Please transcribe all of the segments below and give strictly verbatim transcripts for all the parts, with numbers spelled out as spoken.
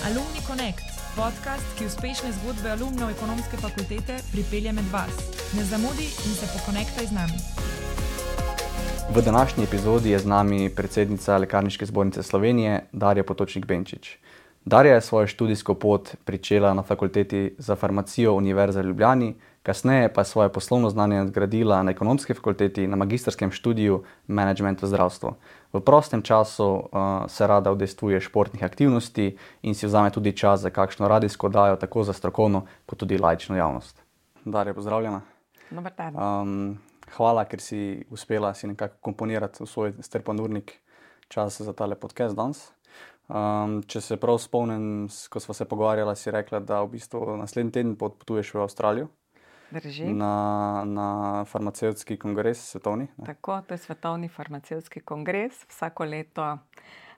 Alumni Connect, podcast, ki uspešne zgodbe alumnov ekonomske fakultete pripelje med vas. Ne zamudi in se pokonektaj z nami. V današnji epizodi je z nami predsednica Lekarniške zbornice Slovenije, Darja Potočnik Benčič. Darja je svojo študijsko pot pričela na fakulteti za farmacijo Univerze v Ljubljani, kasneje pa je svoje poslovno znanje nadgradila na ekonomski fakulteti na magistrskem študiju Management v zdravstvu. V prostem času uh, se rada udejstvuje športnih aktivnosti in si vzame tudi čas za kakšno radijsko oddajo, tako za strokovno kot tudi laično javnost. Darja, pozdravljena. Dobar dan. Um, hvala, ker si uspela si nekako komponirati v svoj strpan urnik čas za tale podcast danes. Um, če se prav spomnim, ko sva se pogovarjala, si rekla, da v bistvu naslednji teden potuješ v Avstralijo. Drži. Na, na farmacevtski kongres svetovni. Ne? Tako, to je svetovni farmacevtski kongres. Vsako leto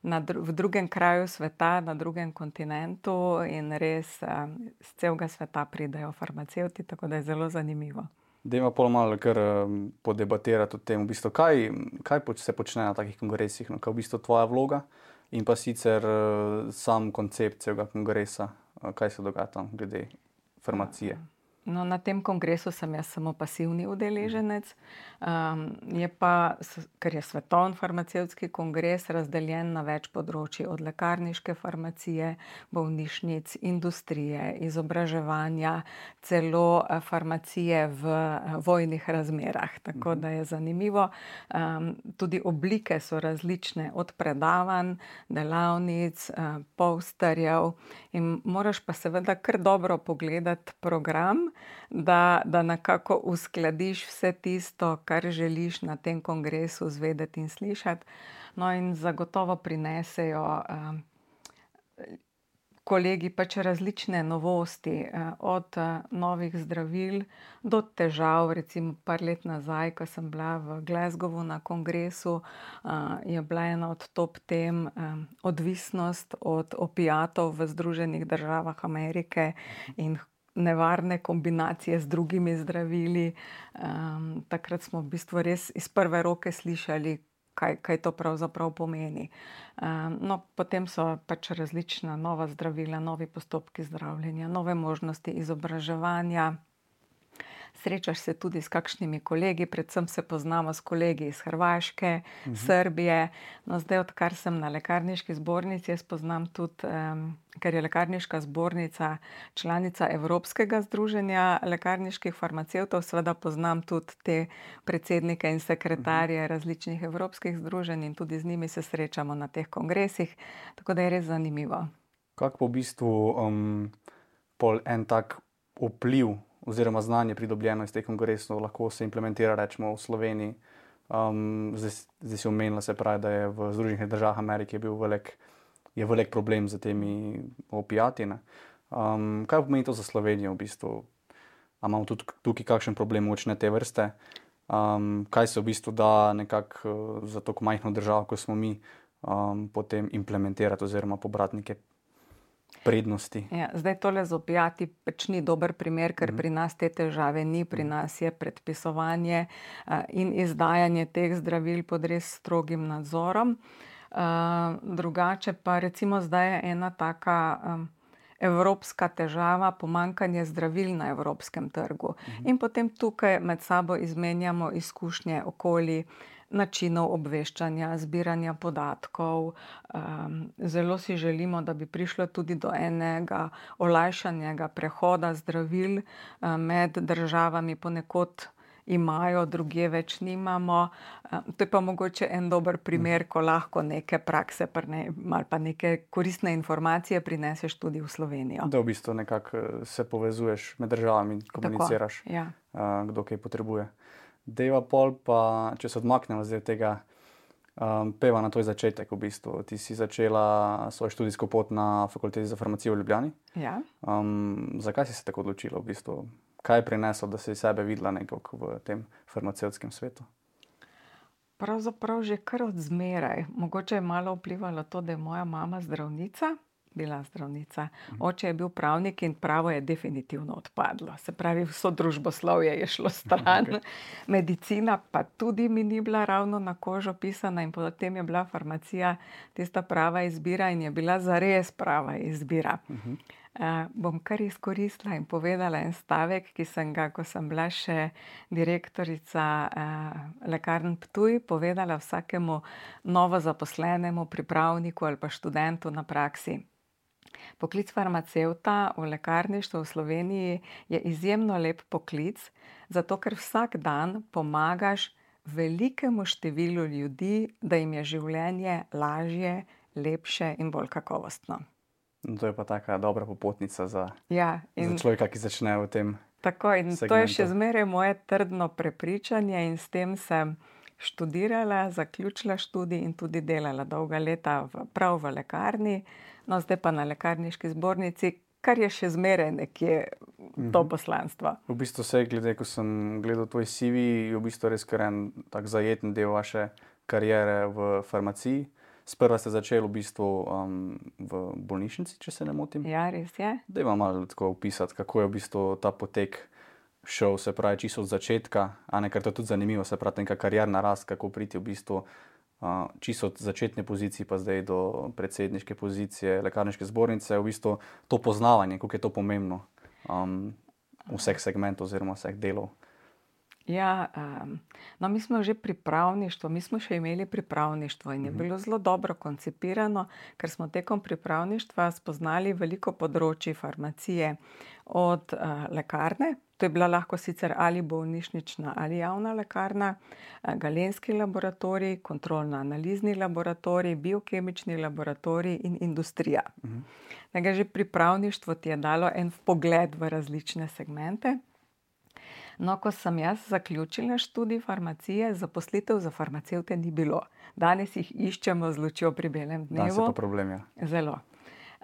na dru- v drugem kraju sveta, na drugem kontinentu in res um, z celega sveta pridejo farmacevti, tako da je zelo zanimivo. Dajmo pol malo kar um, podebatirati o tem, v bistvu, kaj, kaj poč- se počne na takih kongresih, no, kaj je v bistvu tvoja vloga in pa sicer uh, sam koncept celega kongresa, uh, kaj se dogaja tam glede farmacije. No, na tem kongresu sem jaz samo pasivni udeleženec, um, je pa, ker je svetovni farmacevtski kongres razdeljen na več področij, od lekarniške farmacije, bolnišnic, industrije, izobraževanja, celo farmacije v vojnih razmerah, tako da je zanimivo. Um, tudi oblike so različne, od predavanj, delavnic, uh, posterjev in moraš pa seveda kar dobro pogledati program, Da, da nekako uskladiš vse tisto, kar želiš na tem kongresu zvedeti in slišati. No in zagotovo prinesejo um, kolegi pač različne novosti, uh, od uh, novih zdravil do težav. Recimo par let nazaj, ko sem bila v Glasgowu na kongresu, uh, je bila ena od top tem um, odvisnost od opiatov v Združenih državah Amerike in nevarne kombinacije z drugimi zdravili. Um, takrat smo v bistvu res iz prve roke slišali, kaj, kaj to pravzaprav pomeni. Um, no, potem so pač različna nova zdravila, novi postopki zdravljenja, nove možnosti izobraževanja. Srečaš se tudi s kakšnimi kolegi, predvsem se poznamo s kolegi iz Hrvaške, uh-huh. Srbije. No, zdaj, odkar sem na lekarniški zbornici, jaz poznam tudi, um, ker je lekarniška zbornica članica Evropskega združenja lekarniških farmacevtov, seveda poznam tudi te predsednike in sekretarje uh-huh. različnih evropskih združenj in tudi z njimi se srečamo na teh kongresih, tako da je res zanimivo. Kako po v bistvu um, pol en tak vpliv oziroma znanje pridobljeno iz teh kongresov lahko se implementira, rečemo, v Sloveniji. Um, zdaj, zdaj si omenila, se pravi, da je v Združenih državah Amerike je bil velik, je velik problem z temi opiati. Um, kaj pomeni to za Slovenijo v bistvu? A imamo tudi tukaj kakšen problem močne te vrste? Um, kaj se v bistvu da nekako za tako majhno državo, kot smo mi, um, potem implementirati oziroma pobrati neke prednosti? Ja, zdaj tole z opiati pač ni dober primer, ker pri nas te težave ni, pri nas je predpisovanje uh, in izdajanje teh zdravil pod res strogim nadzorom. Uh, drugače pa recimo zdaj je ena taka um, evropska težava, pomanjkanje zdravil na evropskem trgu. Uh-huh. In potem tukaj med sabo izmenjamo izkušnje okoli načinov obveščanja, zbiranja podatkov. Um, zelo si želimo, da bi prišlo tudi do enega olajšanega prehoda zdravil um, med državami, ponekod imajo, drugje več nimamo. Um, to je pa mogoče en dober primer, ko lahko neke prakse prne, ali pa neke koristne informacije prineseš tudi v Slovenijo. Da v bistvu nekako se povezuješ med državami in komuniciraš, Tako, ja. uh, kdo kaj potrebuje. Dejva pol pa, če se odmaknemo zdaj tega um, peva na tvoj začetek v bistvu. Ti si začela svojo študijsko pot na fakulteti za farmacijo v Ljubljani. Ja. Um, zakaj si se tako odločila v bistvu? Kaj je prineslo, da si sebe videla nekako v tem farmacevtskem svetu? Pravzaprav že kar od zmeraj. Mogoče je malo vplivalo to, da je moja mama zdravnica. bila zdravnica. Oče je bil pravnik in pravo je definitivno odpadlo. Se pravi, vso družboslovje je šlo stran. Okay. Medicina pa tudi mi ni bila ravno na kožo pisana in potem je bila farmacija tista prava izbira in je bila zares prava izbira. Uh-huh. Uh, bom kar izkoristila in povedala en stavek, ki sem ga, ko sem bila še direktorica uh, lekarn Ptuj, povedala vsakemu novo zaposlenemu pripravniku ali pa študentu na praksi. Poklic farmacevta v lekarništvu v Sloveniji je izjemno lep poklic, zato ker vsak dan pomagaš velikemu številu ljudi, da jim je življenje lažje, lepše in bolj kakovostno. No, to je pa taka dobra popotnica za, ja, in, za človeka, ki začne v tem tako, in segmentu. To je še zmeraj moje trdno prepričanje in s tem sem študirala, zaključila študij in tudi delala dolga leta v, prav v lekarni, no zdaj pa na lekarniški zbornici, kar je še zmeraj nekje mm-hmm. to poslanstvo. V bistvu se, glede, ko sem gledal tvoj C V, je v bistvu res kar en tak zajeten del vaše kariere v farmaciji. Sprva ste začeli v bistvu um, v bolnišnici, če se ne motim. Ja, res je. Daj vam malo tako opisati, kako je v bistvu ta potek šel, se pravi, čisto od začetka, a ne, ker to je tudi zanimivo, se pravi, neka karierna rast, kako priti v bistvu uh, čisto od začetne pozicije pa zdaj do predsedniške pozicije lekarniške zbornice, v bistvu to poznavanje, kako je to pomembno um, vseh segmentov oziroma vseh delov. Ja, um, no mi smo že pripravništvo, mi smo še imeli pripravništvo in je bilo zelo dobro koncipirano, ker smo tekom pripravništva spoznali veliko področji farmacije od uh, lekarne, to je bila lahko sicer ali bolnišnična ali javna lekarna, uh, galenski laboratorij, kontrolno-analizni laboratorij, biokemični laboratorij in industrija. Uh-huh. Nekaj že pripravništvo ti je dalo en vpogled v različne segmente. No, ko sem jaz zaključila študij farmacije, zaposlitev za farmacevte ni bilo. Danes jih iščemo z lučjo pri belem dnevu. Danes je pa problem, ja. Zelo.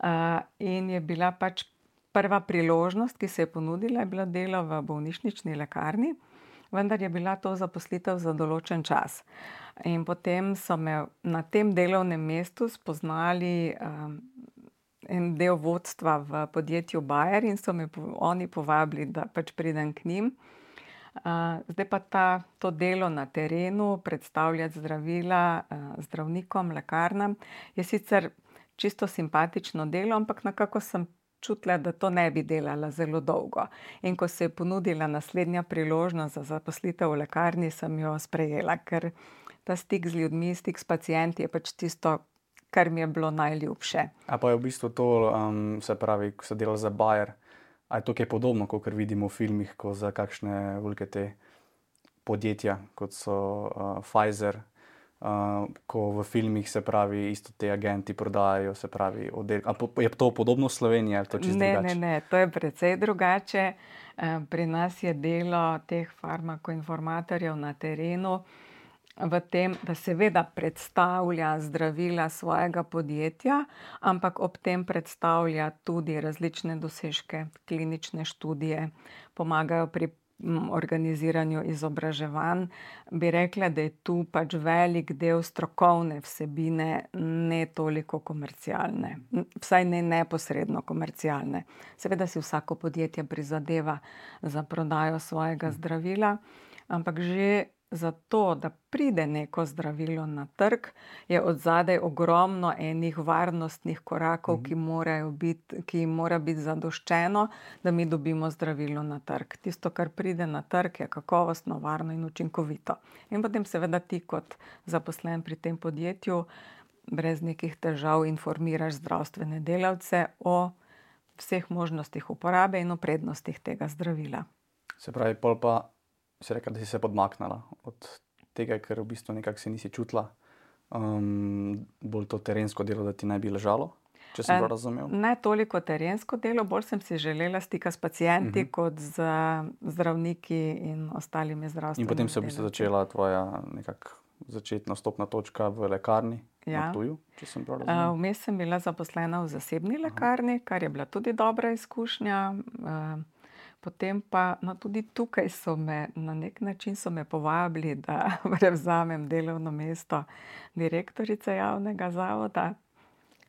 Uh, in je bila pač prva priložnost, ki se je ponudila, je bilo delo v bolnišnični lekarni, vendar je bila to zaposlitev za določen čas. In potem so me na tem delovnem mestu spoznali um, en del vodstva v podjetju Bayer in so me oni povabili, da pač pridem k njim. Uh, zdaj pa ta, to delo na terenu, predstavljati zdravila uh, zdravnikom, lekarnam, je sicer čisto simpatično delo, ampak nekako sem čutila, da to ne bi delala zelo dolgo. In ko se je ponudila naslednja priložnost za zaposlitev v lekarni, sem jo sprejela, ker ta stik z ljudmi, stik s pacienti je pač tisto, kar mi je bilo najljubše. A pa je v bistvu to, um, se pravi, ko se dela za Bayer, a je to kaj podobno, kot vidimo v filmih, ko za kakšne velike te podjetja, kot so uh, Pfizer, uh, ko v filmih se pravi, isto te agenti prodajajo, se pravi, oddelek. A po, je to podobno v Sloveniji, ali to čisto ne, drugače? Ne, ne, to je precej drugače. Pri nas je delo teh farmakoinformatorjev na terenu v tem, da seveda predstavlja zdravila svojega podjetja, ampak ob tem predstavlja tudi različne dosežke, klinične študije, pomagajo pri organiziranju izobraževanj. Bi rekla, da je tu pač velik del strokovne vsebine, ne toliko komercialne, vsaj ne neposredno komercialne. Seveda si vsako podjetje prizadeva za prodajo svojega zdravila, ampak že zato, da pride neko zdravilo na trg, je odzadaj ogromno enih varnostnih korakov, mm-hmm. ki morajo biti, ki jim mora biti zadoščeno, da mi dobimo zdravilo na trg. Tisto, kar pride na trg, je kakovostno, varno in učinkovito. In potem seveda ti kot zaposlen pri tem podjetju brez nekih težav informiraš zdravstvene delavce o vseh možnostih uporabe in o prednostih tega zdravila. Se pravi, pol pa si rekla, da si se podmaknila od tega, ker v bistvu nekako se nisi čutila um, bolj to terensko delo, da ti ne bi ležalo, če sem prav razumel? Ne toliko terensko delo, bolj sem si želela stika s pacienti uh-huh. kot z zdravniki in ostalimi zdravstvenimi. In potem se je v bistvu začela tvoja nekako začetna vstopna točka v lekarni ja. na Ptuju, če sem prav razumel? Uh, vmes sem bila zaposlena v zasebni lekarni, uh-huh. kar je bila tudi dobra izkušnja. Uh, Potem pa, no tudi tukaj so me, na nek način so me povabili, da prevzamem delovno mesto direktorice javnega zavoda.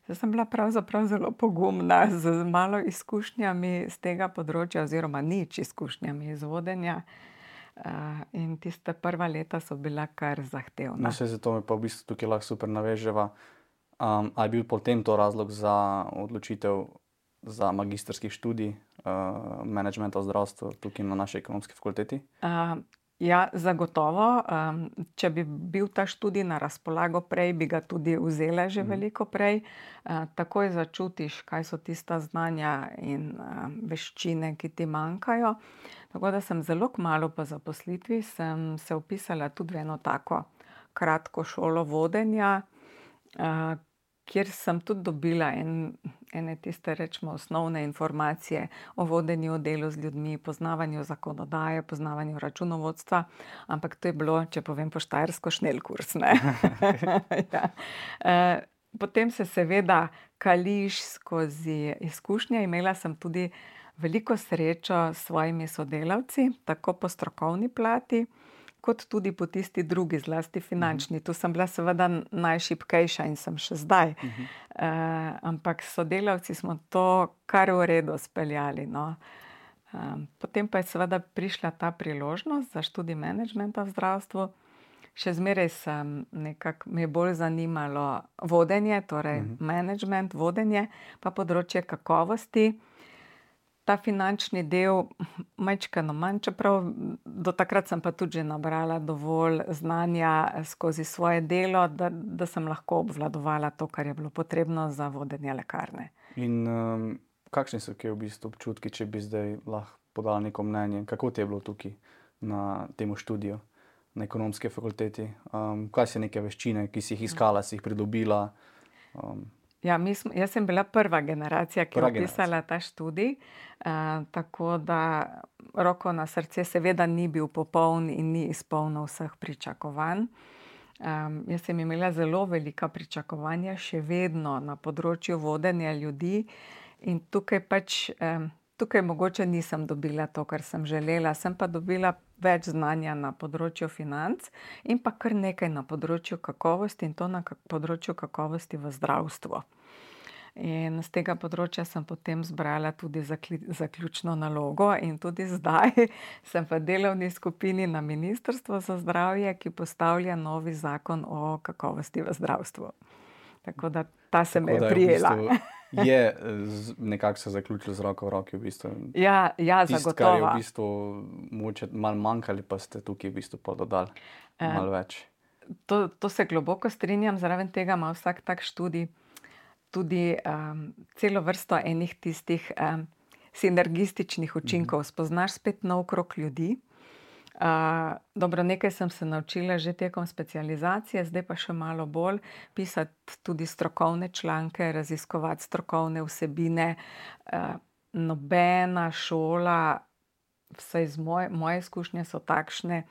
Jaz sem bila pravzaprav zelo pogumna, z malo izkušnjami z tega področja oziroma nič izkušnjami iz vodenja. Uh, in tiste prva leta so bila kar zahtevna. No, saj zato me pa v bistvu tukaj lahko super naveževa. Um, a je bil potem to razlog za odločitev za magistrski študij uh, menedžmenta v zdravstvu tukaj na naši ekonomski fakulteti? Uh, ja, zagotovo. Um, če bi bil ta študij na razpolago prej, bi ga tudi vzela že mm. veliko prej. Uh, takoj začutiš, kaj so tista znanja in uh, veščine, ki ti manjkajo. Tako da sem zelo kmalu po zaposlitvi sem se vpisala tudi v eno tako kratko šolo vodenja, uh, kjer sem tudi dobila en, ene tiste, rečemo, osnovne informacije o vodenju, delu z ljudmi, poznavanju zakonodaje, poznavanju računovodstva, ampak to je bilo, če povem po štajersko, šnelkurs, ne. ja. uh, potem se seveda kališ skozi izkušnje. Imela sem tudi veliko srečo s svojimi sodelavci, tako po strokovni plati, kot tudi po tisti drugi, zlasti finančni. Tu sem bila seveda najšibkejša in sem še zdaj. Uh-huh. Uh, ampak s sodelavci smo to kar v redu speljali. No. Um, potem pa je seveda prišla ta priložnost za študij menedžmenta v zdravstvu. Še zmeraj sem nekako, me je bolj zanimalo vodenje, torej uh-huh. menedžment, vodenje, pa področje kakovosti. Ta finančni del majčkeno manj, čeprav do takrat sem pa tudi že nabrala dovolj znanja skozi svoje delo, da, da sem lahko obvladovala to, kar je bilo potrebno za vodenje lekarne. In um, kakšni so kje v bistvu občutki, če bi zdaj lahko podala neko mnenje? Kako ti je bilo tukaj na temu študiju, na ekonomski fakulteti? Um, kaj so neke veščine, ki si jih iskala, si jih pridobila? Um, Ja, mi smo, jaz sem bila prva generacija, ki Prva je vpisala ta študij, uh, tako da roko na srce seveda ni bil popoln in ni izpolnil vseh pričakovanj. Um, jaz sem imela zelo velika pričakovanja še vedno na področju vodenja ljudi in tukaj pač, um, tukaj mogoče nisem dobila to, kar sem želela, sem pa dobila več znanja na področju financ in pa kar nekaj na področju kakovosti in to na področju kakovosti v zdravstvu. In z tega področja sem potem zbrala tudi zakli, zaključno nalogo in tudi zdaj sem v delovni skupini na Ministrstvu za zdravje, ki postavlja novi zakon o kakovosti v zdravstvu. Tako da ta se me je prijela. Je nekako se zaključilo z roko v roki v bistvu. Ja, ja, Tist, zagotovo. kar je v bistvu mogoče malo manjkali, pa ste tukaj v bistvu pa dodali malo več. To, to se globoko strinjam, zraven tega ima vsak tak študij tudi um, celo vrsto enih tistih um, sinergističnih učinkov. Spoznaš spet nov krog ljudi. Uh, dobro, nekaj sem se naučila že tekom specializacije, zdaj pa še malo bolj pisati tudi strokovne članke, raziskovati strokovne vsebine. Uh, nobena šola, vsaj z moje, moje izkušnje so takšne,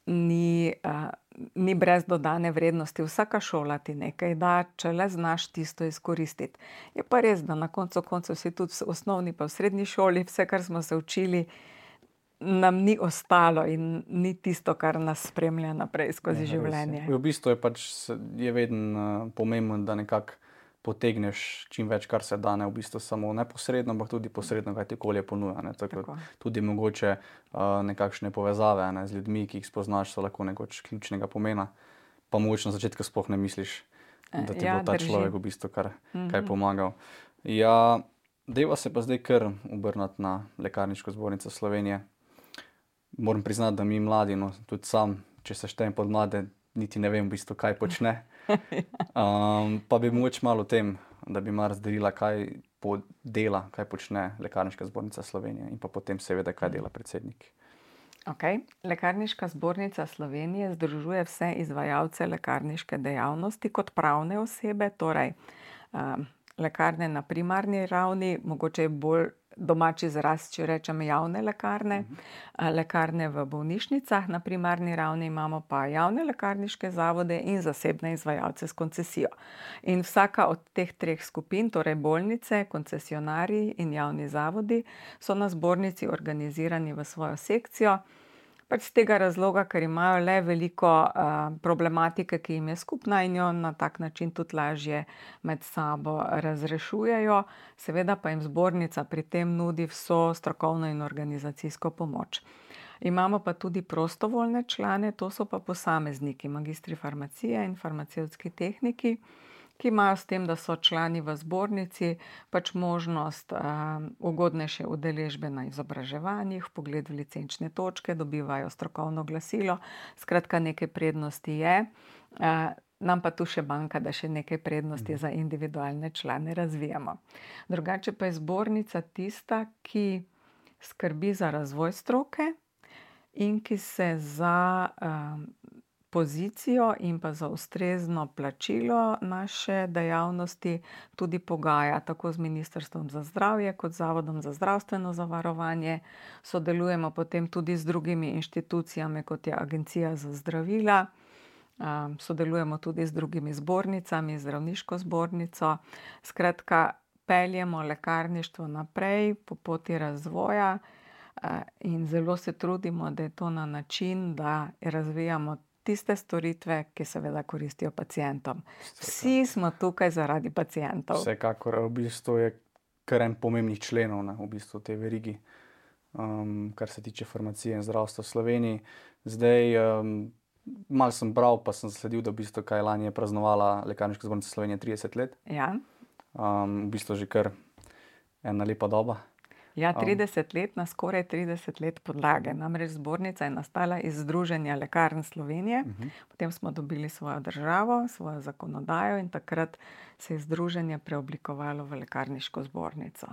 ni, uh, ni brez dodane vrednosti. Vsaka šola ti nekaj da, če le znaš tisto izkoristiti. Je pa res, da na koncu koncev vsi tudi v osnovni pa v srednji šoli, vse, kar smo se učili, nam ni ostalo in ni tisto, kar nas spremlja naprej skozi ja, življenje. V bistvu je pač je vedno uh, pomembno, da nekako potegneš čim več, kar se da, ne v bistvu samo neposredno, ampak tudi posredno, kaj ti okolje ponuja. Ne? Tako, Tako. Tudi mogoče uh, nekakšne povezave ne, z ljudmi, ki jih spoznaš, so lahko nekoč ključnega pomena, pa mogoče na začetku sploh ne misliš, da ti ja, bo ta drži. Človek v bistvu kar mm-hmm. kaj pomagal. Ja, deva se pa zdaj kar obrnati na Lekarniško zbornico Slovenije. Moram priznati, da mi mladi, no, tudi sam, če se štejem pod mlade, niti ne vem v bistvu, kaj počne. Um, pa bi mogoče malo o tem, da bi malo razdelila, kaj dela, kaj počne Lekarniška zbornica Slovenije in pa potem seveda, kaj dela predsednik. Okay. Lekarniška zbornica Slovenije združuje vse izvajalce lekarniške dejavnosti kot pravne osebe, torej um, lekarne na primarni ravni, mogoče je bolj domači izraz, če rečem javne lekarne, uh-huh. lekarne v bolnišnicah, na primarni ravni imamo pa javne lekarniške zavode in zasebne izvajalce s koncesijo. In vsaka od teh treh skupin, torej bolnice, koncesionarji in javni zavodi, so na zbornici organizirani v svojo sekcijo. Pač z tega razloga, ker imajo le veliko uh, problematike, ki jim je skupna in jo na tak način tudi lažje med sabo razrešujejo. Seveda pa jim zbornica pri tem nudi vso strokovno in organizacijsko pomoč. Imamo pa tudi prostovoljne člane, to so pa posamezniki, magistri farmacije in farmacevtski tehniki, ki imajo s tem, da so člani v zbornici, pač možnost uh, ugodnejše udeležbe na izobraževanjih, vpogled v licenčne točke, dobivajo strokovno glasilo, skratka nekaj prednosti je. Uh, nam pa tu še manjka, da še nekaj prednosti za individualne člane razvijamo. Drugače pa je zbornica tista, ki skrbi za razvoj stroke in ki se za uh, pozicijo in pa za ustrezno plačilo naše dejavnosti tudi pogaja, tako z Ministrstvom za zdravje kot Zavodom za zdravstveno zavarovanje. Sodelujemo potem tudi z drugimi inštitucijami, kot je Agencija za zdravila. Um, sodelujemo tudi z drugimi zbornicami, zdravniško zbornico. Skratka, peljemo lekarništvo naprej po poti razvoja uh, in zelo se trudimo, da je to na način, da razvijamo tiste storitve, ki seveda koristijo pacientom. Vsi smo tukaj zaradi pacientov. Vsekakor, v bistvu je kar en pomembnih členov, ne, v bistvu te verigi, um, kar se tiče farmacije in zdravstva v Sloveniji. Zdaj, um, malo sem bral, pa sem zasledil, da v bistvu kaj lani je praznovala Lekarniška zbornica Slovenije trideset let. Ja. Um, v bistvu že kar ena lepa doba. Ja, trideset let na skoraj trideset let podlage. Namreč zbornica je nastala iz Združenja lekarn Slovenije, uh-huh. Potem smo dobili svojo državo, svojo zakonodajo in takrat se je združenje preoblikovalo v Lekarniško zbornico.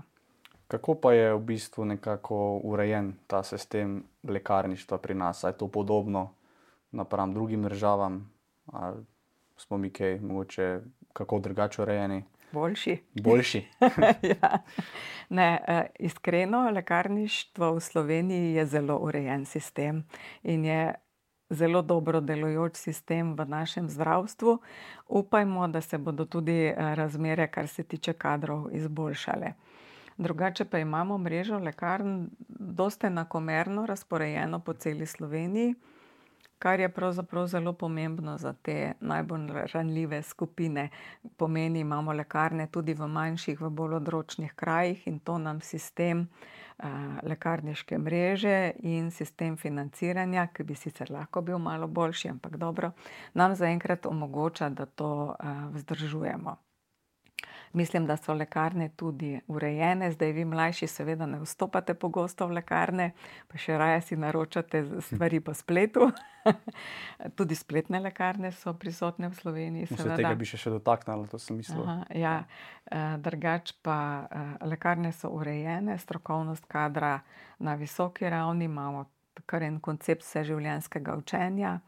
Kako pa je v bistvu nekako urejen ta sistem lekarništva pri nas? A je to podobno napram drugim državam? Ali smo mi kaj mogoče kako drugače urejeni? Boljši. Boljši. Ja. Ne, iskreno, lekarništvo v Sloveniji je zelo urejen sistem in je zelo dobro delujoč sistem v našem zdravstvu. Upajmo, da se bodo tudi razmere, kar se tiče kadrov, izboljšale. Drugače pa imamo mrežo lekarn dosti enakomerno razporejeno po celi Sloveniji, kar je pravzaprav zelo pomembno za te najbolj ranljive skupine. Pomeni, imamo lekarne tudi v manjših, v bolj odročnih krajih in to nam sistem uh, lekarniške mreže in sistem financiranja, ki bi sicer lahko bil malo boljši, ampak dobro, nam zaenkrat omogoča, da to uh, vzdržujemo. Mislim, da so lekarne tudi urejene. Zdaj vi mlajši seveda ne vstopate pogosto v lekarne, pa še raje si naročate stvari po spletu. Tudi spletne lekarne so prisotne v Sloveniji. Vse tega bi še še dotaknila, to sem mislil. Aha, ja, drugač pa lekarne so urejene, strokovnost kadra na visoki ravni, imamo kar en koncept vseživljenjskega učenja.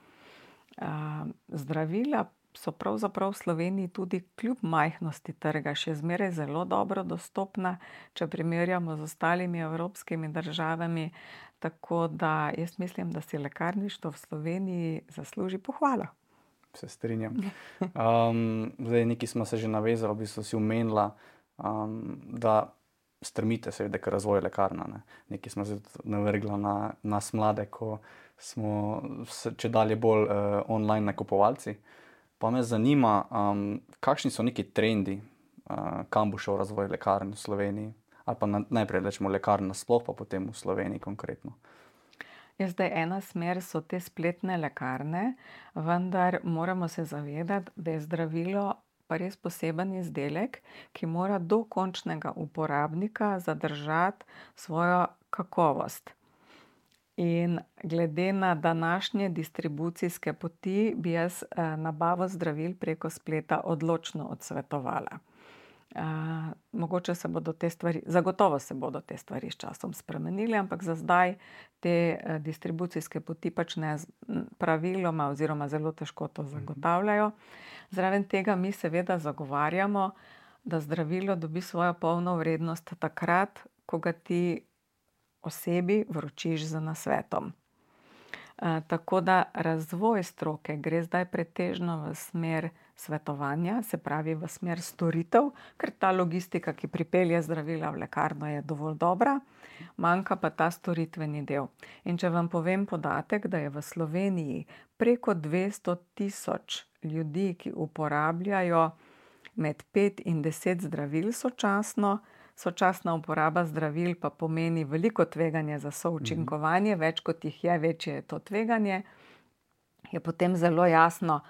Zdravila so pravzaprav v Sloveniji tudi kljub majhnosti trga še zmeraj zelo dobro dostopna, če primerjamo z ostalimi evropskimi državami, tako da jaz mislim, da si lekarništvo v Sloveniji zasluži pohvalo. Se strinjam. Um, zdaj, nekaj smo se že navezali, v bistvu si omenila, um, da strmite seveda k razvoju lekarna. Ne? Nekaj smo se navrgla na nas mlade, ko smo če dalje bolj uh, online nakupovalci. Pa me zanima, um, kakšni so neki trendi, uh, kam bo šel razvoj lekarn v Sloveniji, ali pa na, najprej rečemo lekarn sploh, pa potem v Sloveniji konkretno. Ja, zdaj ena smer so te spletne lekarne, vendar moramo se zavedati, da je zdravilo pa res poseben izdelek, ki mora do končnega uporabnika zadržati svojo kakovost. In glede na današnje distribucijske poti bi jaz eh, nabavo zdravil preko spleta odločno odsvetovala. Eh, mogoče se bodo te stvari, zagotovo se bodo te stvari s časom spremenile, ampak za zdaj te eh, distribucijske poti pač ne praviloma oziroma zelo težko to zagotavljajo. Zraven tega mi seveda zagovarjamo, da zdravilo dobi svojo polno vrednost takrat, ko ga ti osebi vročiš z nasvetom. E, tako da razvoj stroke gre zdaj pretežno v smer svetovanja, se pravi v smer storitev, ker ta logistika, ki pripelje zdravila v lekarno, je dovolj dobra, manjka pa ta storitveni del. In če vam povem podatek, da je v Sloveniji preko dvesto tisoč ljudi, ki uporabljajo med pet in deset zdravil sočasno, sočasna uporaba zdravil pa pomeni veliko tveganje za součinkovanje, več kot jih je, večje je to tveganje, je potem zelo jasno,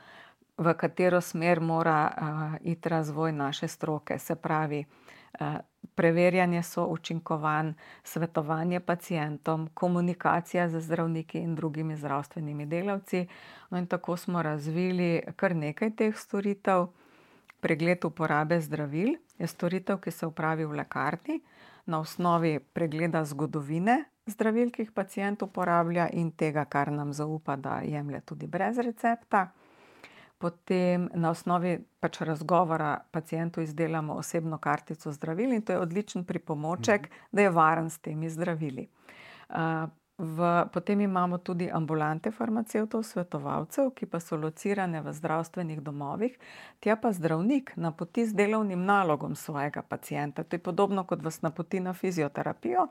v katero smer mora uh, iti razvoj naše stroke. Se pravi, uh, preverjanje součinkovanj, svetovanje pacientom, komunikacija z zdravniki in drugimi zdravstvenimi delavci. No in tako smo razvili kar nekaj teh storitev. Pregled uporabe zdravil je storitev, ki se opravi v lekarni na osnovi pregleda zgodovine zdravil, ki jih pacient uporablja in tega, kar nam zaupa, da jemlje tudi brez recepta. Potem na osnovi pač razgovora pacientu izdelamo osebno kartico zdravil in to je odličen pripomoček, da je varen s temi zdravili. Uh, v, potem imamo tudi ambulante farmacevtov, svetovalcev, ki pa so locirane v zdravstvenih domovih, tja pa zdravnik napoti z delovnim nalogom svojega pacienta. To je podobno, kot vas napoti na fizioterapijo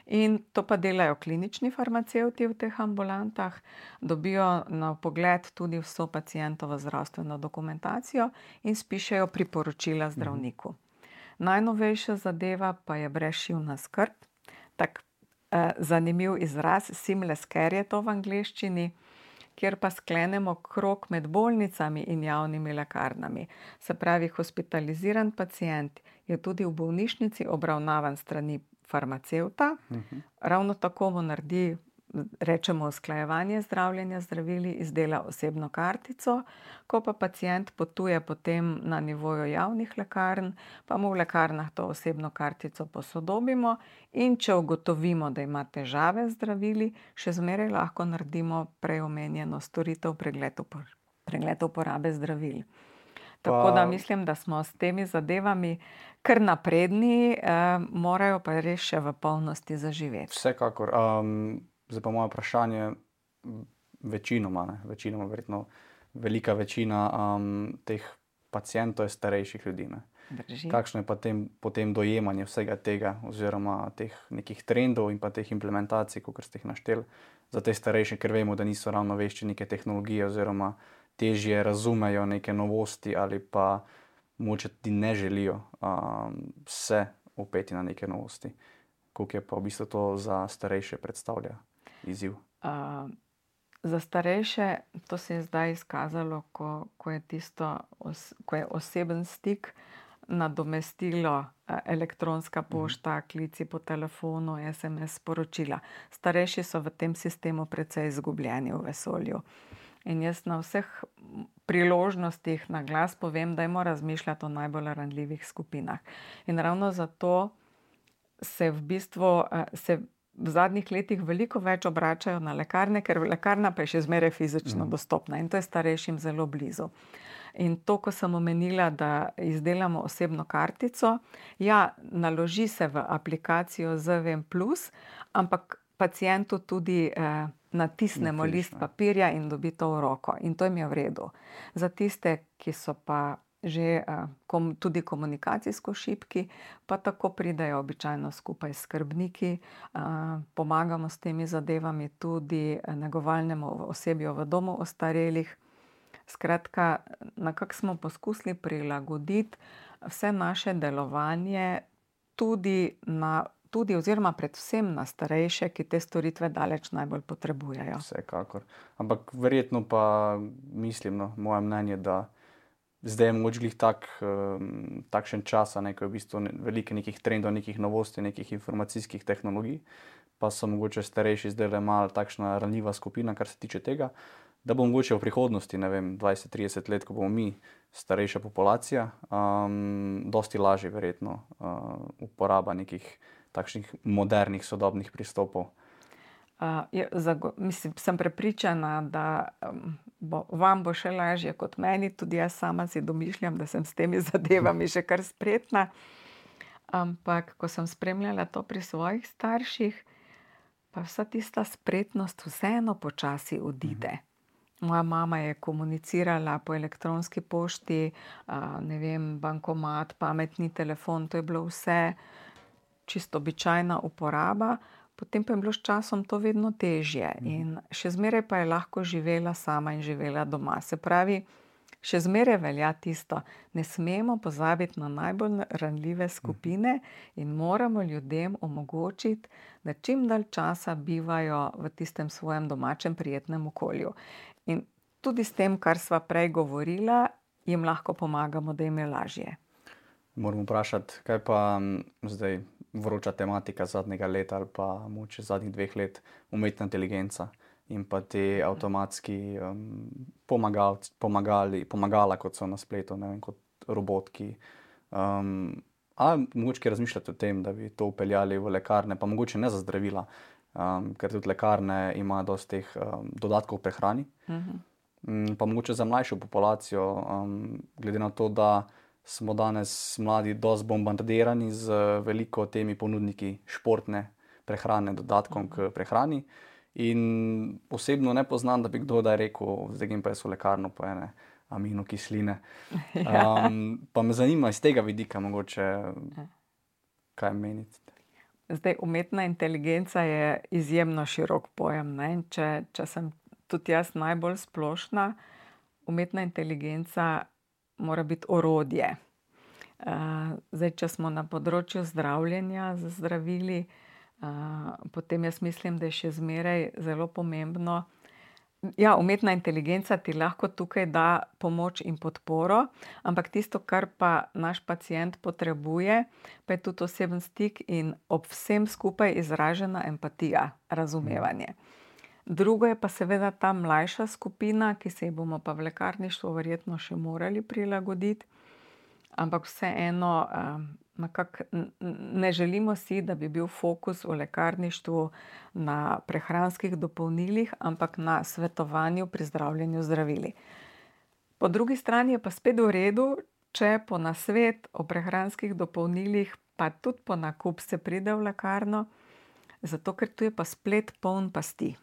in to pa delajo klinični farmacevti v teh ambulantah, dobijo na pogled tudi vso pacientovo zdravstveno dokumentacijo in spišejo priporočila zdravniku. Najnovejša zadeva pa je brezšivna skrb, tak eh, zanimiv izraz, seamless care je to v angleščini, kjer pa sklenemo krog med bolnicami in javnimi lekarnami. Se pravi, hospitaliziran pacient je tudi v bolnišnici obravnavan strani farmacevta, uh-huh. ravno tako mu naredi, rečemo, usklajevanje zdravljenja zdravili, izdela osebno kartico, ko pa pacient potuje potem na nivoju javnih lekarn, pa mu v lekarnah to osebno kartico posodobimo in če ugotovimo, da ima težave z zdravili, še zmeraj lahko naredimo prej omenjeno storitev pregled, upor- pregled uporabe zdravil. Tako da mislim, da smo s temi zadevami kar napredni, eh, morajo pa res še v polnosti zaživeti. Vsekakor. Um, zdaj pa moje vprašanje, večinoma, ne, večinoma, verjetno velika večina um, teh pacientov je starejših ljudi. Ne. Kakšno je pa tem, potem dojemanje vsega tega, oziroma teh nekih trendov in pa teh implementacij, kot ste jih našteli, za te starejše, ker vemo, da niso ravno vešči neke tehnologije, oziroma težje razumejo neke novosti ali pa mogoče tudi ne želijo um, se upeti na neke novosti. Koliko je pa v bistvu to za starejše predstavlja izziv? Uh, za starejše to se je zdaj izkazalo, ko, ko je tisto, os, ko je oseben stik nadomestilo uh, elektronska pošta, uh-huh. klici po telefonu, es em es sporočila. Starejši so v tem sistemu precej izgubljeni v vesolju. In jaz na vseh priložnostih na glas povem, dajmo razmišljati o najbolj ranljivih skupinah. In ravno zato se v bistvu se v zadnjih letih veliko več obračajo na lekarne, ker lekarna pa je še zmeraj fizično mm. dostopna in to je starejšim zelo blizu. In to, ko sem omenila, da izdelamo osebno kartico, ja, naloži se v aplikacijo Z V M plus, ampak pacientu tudi eh, natisnemo Napiš, list papirja in dobi to v roko. In to jim je v redu. Za tiste, ki so pa že uh, kom, tudi komunikacijsko šibki, pa tako pridejo običajno skupaj s skrbniki, uh, pomagamo s temi zadevami tudi negovalnemu osebju v domu ostarelih. Skratka, nekako smo poskusili prilagoditi vse naše delovanje tudi na tudi oziroma predvsem na starejše, ki te storitve daleč najbolj potrebujejo. Vsekakor. Ampak verjetno pa mislim, no, moje mnenje, da zdaj je mogoče glih tak, um, takšen čas, ne, ko je v bistvu ne, veliko nekih trendov, nekih novosti, nekih informacijskih tehnologij, pa so mogoče starejši zdaj le malo takšna ranljiva skupina, kar se tiče tega, da bo mogoče v prihodnosti, ne vem, dvajset trideset let, ko bomo mi starejša populacija, um, dosti lažje verjetno uh, uporaba nekih takšnih modernih, sodobnih pristopov. Uh, je, zago, mislim, sem prepričana, da um, bo, vam bo še lažje kot meni, tudi jaz sama si domišljam, da sem s temi zadevami še kar spretna, ampak ko sem spremljala to pri svojih starših, pa vsa tista spretnost vseeno počasi odide. Moja mama je komunicirala po elektronski pošti, a, ne vem, bankomat, pametni telefon, to je bilo vse čisto običajna uporaba, potem pa je bilo s časom to vedno težje in še zmeraj pa je lahko živela sama in živela doma. Se pravi, še zmeraj velja tisto, ne smemo pozabiti na najbolj ranljive skupine in moramo ljudem omogočiti, da čim dalj časa bivajo v tistem svojem domačem prijetnem okolju. In tudi s tem, kar sva prej govorila, jim lahko pomagamo, da jim je lažje. Moram vprašati, kaj pa m, zdaj vroča tematika zadnjega leta ali pa mogoče zadnjih dveh let, umetna inteligenca in pa te avtomatski um, pomagalci, pomagali, pomagala, kot so na spletu, ne vem, kot robotki. Um, ali mogoče kaj razmišljate o tem, da bi to upeljali v lekarne, pa mogoče ne za zdravila, um, ker tudi lekarne imajo dosti teh um, dodatkov v prehrani. Um, pa mogoče za mlajšo populacijo, um, glede na to, da smo danes mladi dosti bombardirani z veliko temi ponudniki športne prehrane, dodatkom k prehrani. In osebno ne poznam, da bi kdo da rekel, zdaj grem pa jaz v lekarno po ene aminokisline. Um, pa me zanima iz tega vidika mogoče, kaj menite. Zdaj, umetna inteligenca je izjemno širok pojem, ne? Če, če sem tudi jaz najbolj splošna, umetna inteligenca mora biti orodje. Uh, zdaj, če smo na področju zdravljenja z zdravili, uh, potem jaz mislim, da je še zmeraj zelo pomembno. Ja, umetna inteligenca ti lahko tukaj da pomoč in podporo, ampak tisto, kar pa naš pacient potrebuje, pa je tudi oseben stik in ob vsem skupaj izražena empatija, razumevanje. Drugo je pa seveda ta mlajša skupina, ki se ji bomo pa v lekarništvu verjetno še morali prilagoditi, ampak vseeno nekako ne želimo si, da bi bil fokus v lekarništvu na prehranskih dopolnilih, ampak na svetovanju pri zdravljenju zdravili. Po drugi strani je pa spet v redu, če po nasvet o prehranskih dopolnilih pa tudi po nakup se pride v lekarno, zato ker tu je pa splet poln pasti.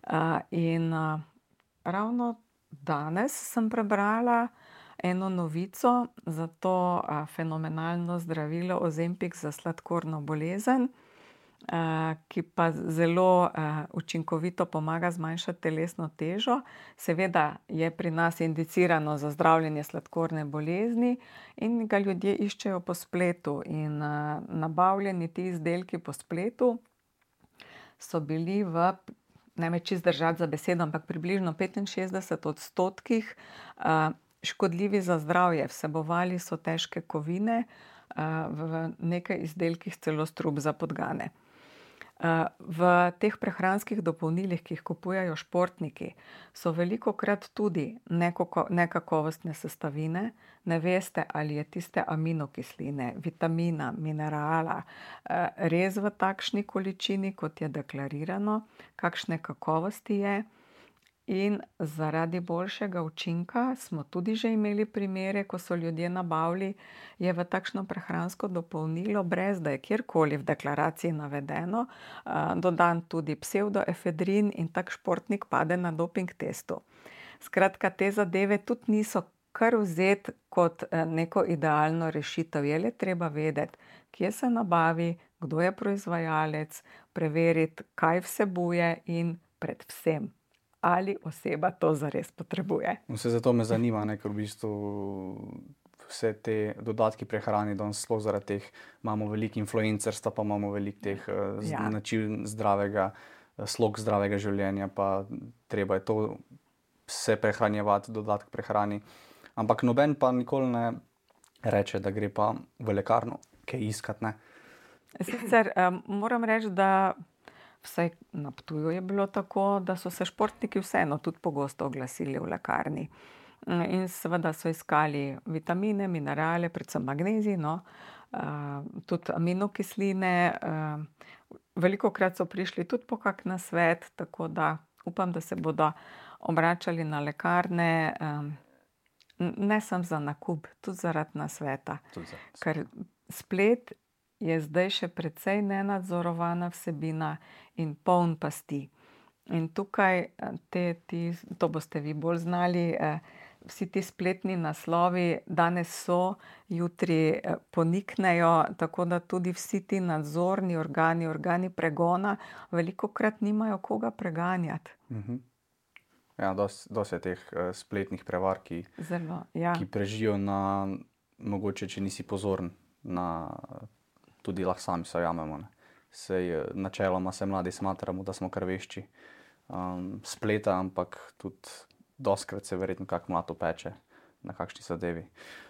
Uh, in uh, ravno danes sem prebrala eno novico za to uh, fenomenalno zdravilo Ozempic za sladkorno bolezen, uh, ki pa zelo uh, učinkovito pomaga zmanjšati telesno težo. Seveda je pri nas indicirano za zdravljenje sladkorne bolezni in ga ljudje iščejo po spletu in uh, nabavljeni ti izdelki po spletu so bili v, ne me čisto držati za besedo, ampak približno petinšestdeset odstotkih uh, škodljivi za zdravje. Vsebovali so težke kovine, uh, v nekaj izdelkih celo strup za podgane. Uh, v teh prehranskih dopolnilih, ki jih kupujejo športniki, so velikokrat tudi nekako, nekakovostne sestavine. Ne veste, ali je tiste aminokisline, vitamina, minerala uh, res v takšni količini, kot je deklarirano, kakšne kakovosti je. In zaradi boljšega učinka smo tudi že imeli primere, ko so ljudje nabavili, je v takšno prehransko dopolnilo, brez da je kjerkoli v deklaraciji navedeno, dodan tudi psevdoefedrin in tak športnik pade na doping testu. Skratka, te zadeve tudi niso kar vzeti kot neko idealno rešitev. Je le treba vedeti, kje se nabavi, kdo je proizvajalec, preveriti, kaj vsebuje in predvsem, ali oseba to zares potrebuje. Vse zato me zanima, ne, ker v bistvu vse te dodatki prehrani, danes sploh zaradi teh imamo veliko influencerstva, pa imamo veliko teh ja. način zdravega, slog zdravega življenja, pa treba je to vse prehranjevati, dodatek prehrani. Ampak noben pa nikoli ne reče, da gre pa v lekarno kaj iskati, ne. Sicer um, moram reči, da vsaj na Ptuju je bilo tako, da so se športniki vseeno tudi pogosto oglasili v lekarni. In seveda so iskali vitamine, minerale, predvsem magnezij, no, uh, tudi aminokisline. Uh, velikokrat so prišli tudi po kak nasvet, tako da upam, da se bodo obračali na lekarne, um, ne samo za nakup, tudi zaradi nasveta. Tudi zaradi. Ker splet je zdaj še precej nenadzorovana vsebina in poln pasti. In tukaj te, ti, to boste vi bolj znali, vsi ti spletni naslovi danes so, jutri poniknejo, tako da tudi vsi ti nadzorni organi, organi pregona velikokrat nimajo koga preganjati. Mhm. Ja, dosti dosti je teh uh, spletnih prevar, ki, Zelo, ja. ki prežijo na, mogoče, če nisi pozoren, na, tudi lahko sami se ujamemo, ne. Sej načeloma se mladi smatramo, da smo kar vešči um, spleta, ampak tudi dostikrat se verjetno kak mlad opeče na kakšni zadevi.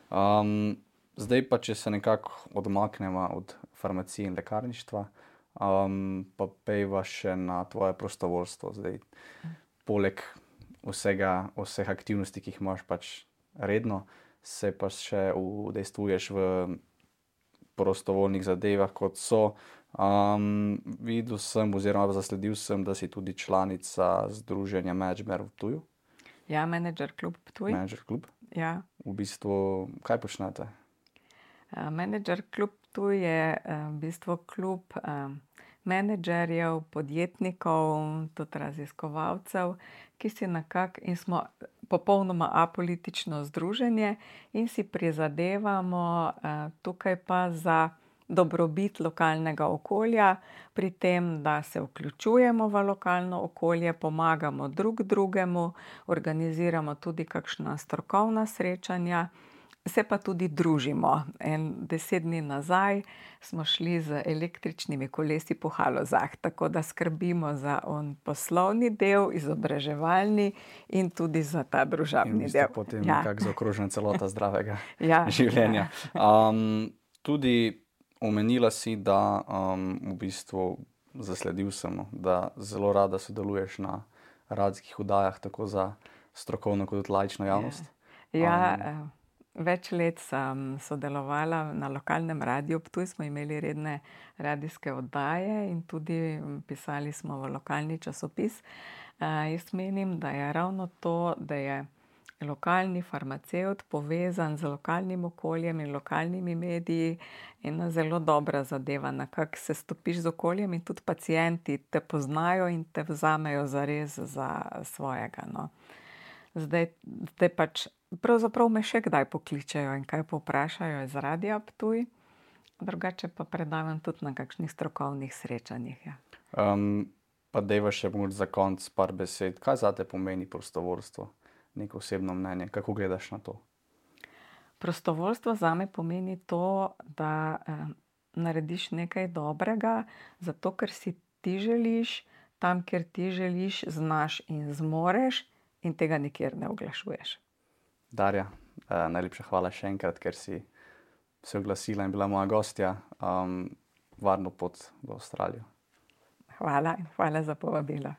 Um, zdaj pa, če se nekako odmaknemo od farmacije in lekarništva, um, pa pejva še na tvoje prostovoljstvo. Zdaj, poleg vsega, vseh aktivnosti, ki jih imaš pač redno, se pa še udejstvuješ v prostovoljnih zadevah, kot so. Um, videl sem oziroma zasledil sem, da si tudi članica združenja Menedžer v Ptuju. Ja, Menedžer klub Ptuj. Menedžer klub. Ja. V bistvu, kaj počnete? Uh, Menedžer klub Ptuj je uh, v bistvu klub uh, menedžerjev, podjetnikov, tudi raziskovalcev, ki si nekako, in smo popolnoma apolitično združenje in si prizadevamo uh, tukaj pa za dobrobit lokalnega okolja, pri tem, da se vključujemo v lokalno okolje, pomagamo drug drugemu, organiziramo tudi kakšna strokovna srečanja, se pa tudi družimo. En deset dni nazaj smo šli z električnimi kolesi po Halozah, tako da skrbimo za on poslovni del, izobraževalni in tudi za ta družabni del. In potem ja. Nekako zaokrožena celota zdravega ja. življenja. Um, tudi omenila si, da um, v bistvu zasledil sem, da zelo rada sodeluješ na radijskih oddajah, tako za strokovno kot laično javnost. Ja, um, več let sem sodelovala na lokalnem radiju Ptuj, smo imeli redne radijske oddaje in tudi pisali smo v lokalni časopis. Uh, jaz menim, da je ravno to, da je lokalni farmacevt povezan z lokalnim okoljem in lokalnimi mediji, ena zelo dobra zadeva, nekako se stopiš z okoljem in tudi pacienti te poznajo in te vzamejo zares za svojega, no. Zdaj, zdaj pač, pravzaprav me še kdaj pokličejo in kaj povprašajo iz Radia Ptuj, drugače pa predavam tudi na kakšnih strokovnih srečanjih, ja. Um, pa dejva še mogoče za konec par besed, kaj zate pomeni prostovoljstvo? Neko osebno mnenje, kako gledaš na to? Prostovoljstvo zame pomeni to, da eh, narediš nekaj dobrega, zato ker si ti želiš, tam, kjer ti želiš, znaš in zmoreš in tega nikjer ne oglašuješ. Darja, eh, najlepša hvala še enkrat, ker si se oglasila in bila moja gostja. Um, varno pot v Avstralijo. Hvala in hvala za povabilo.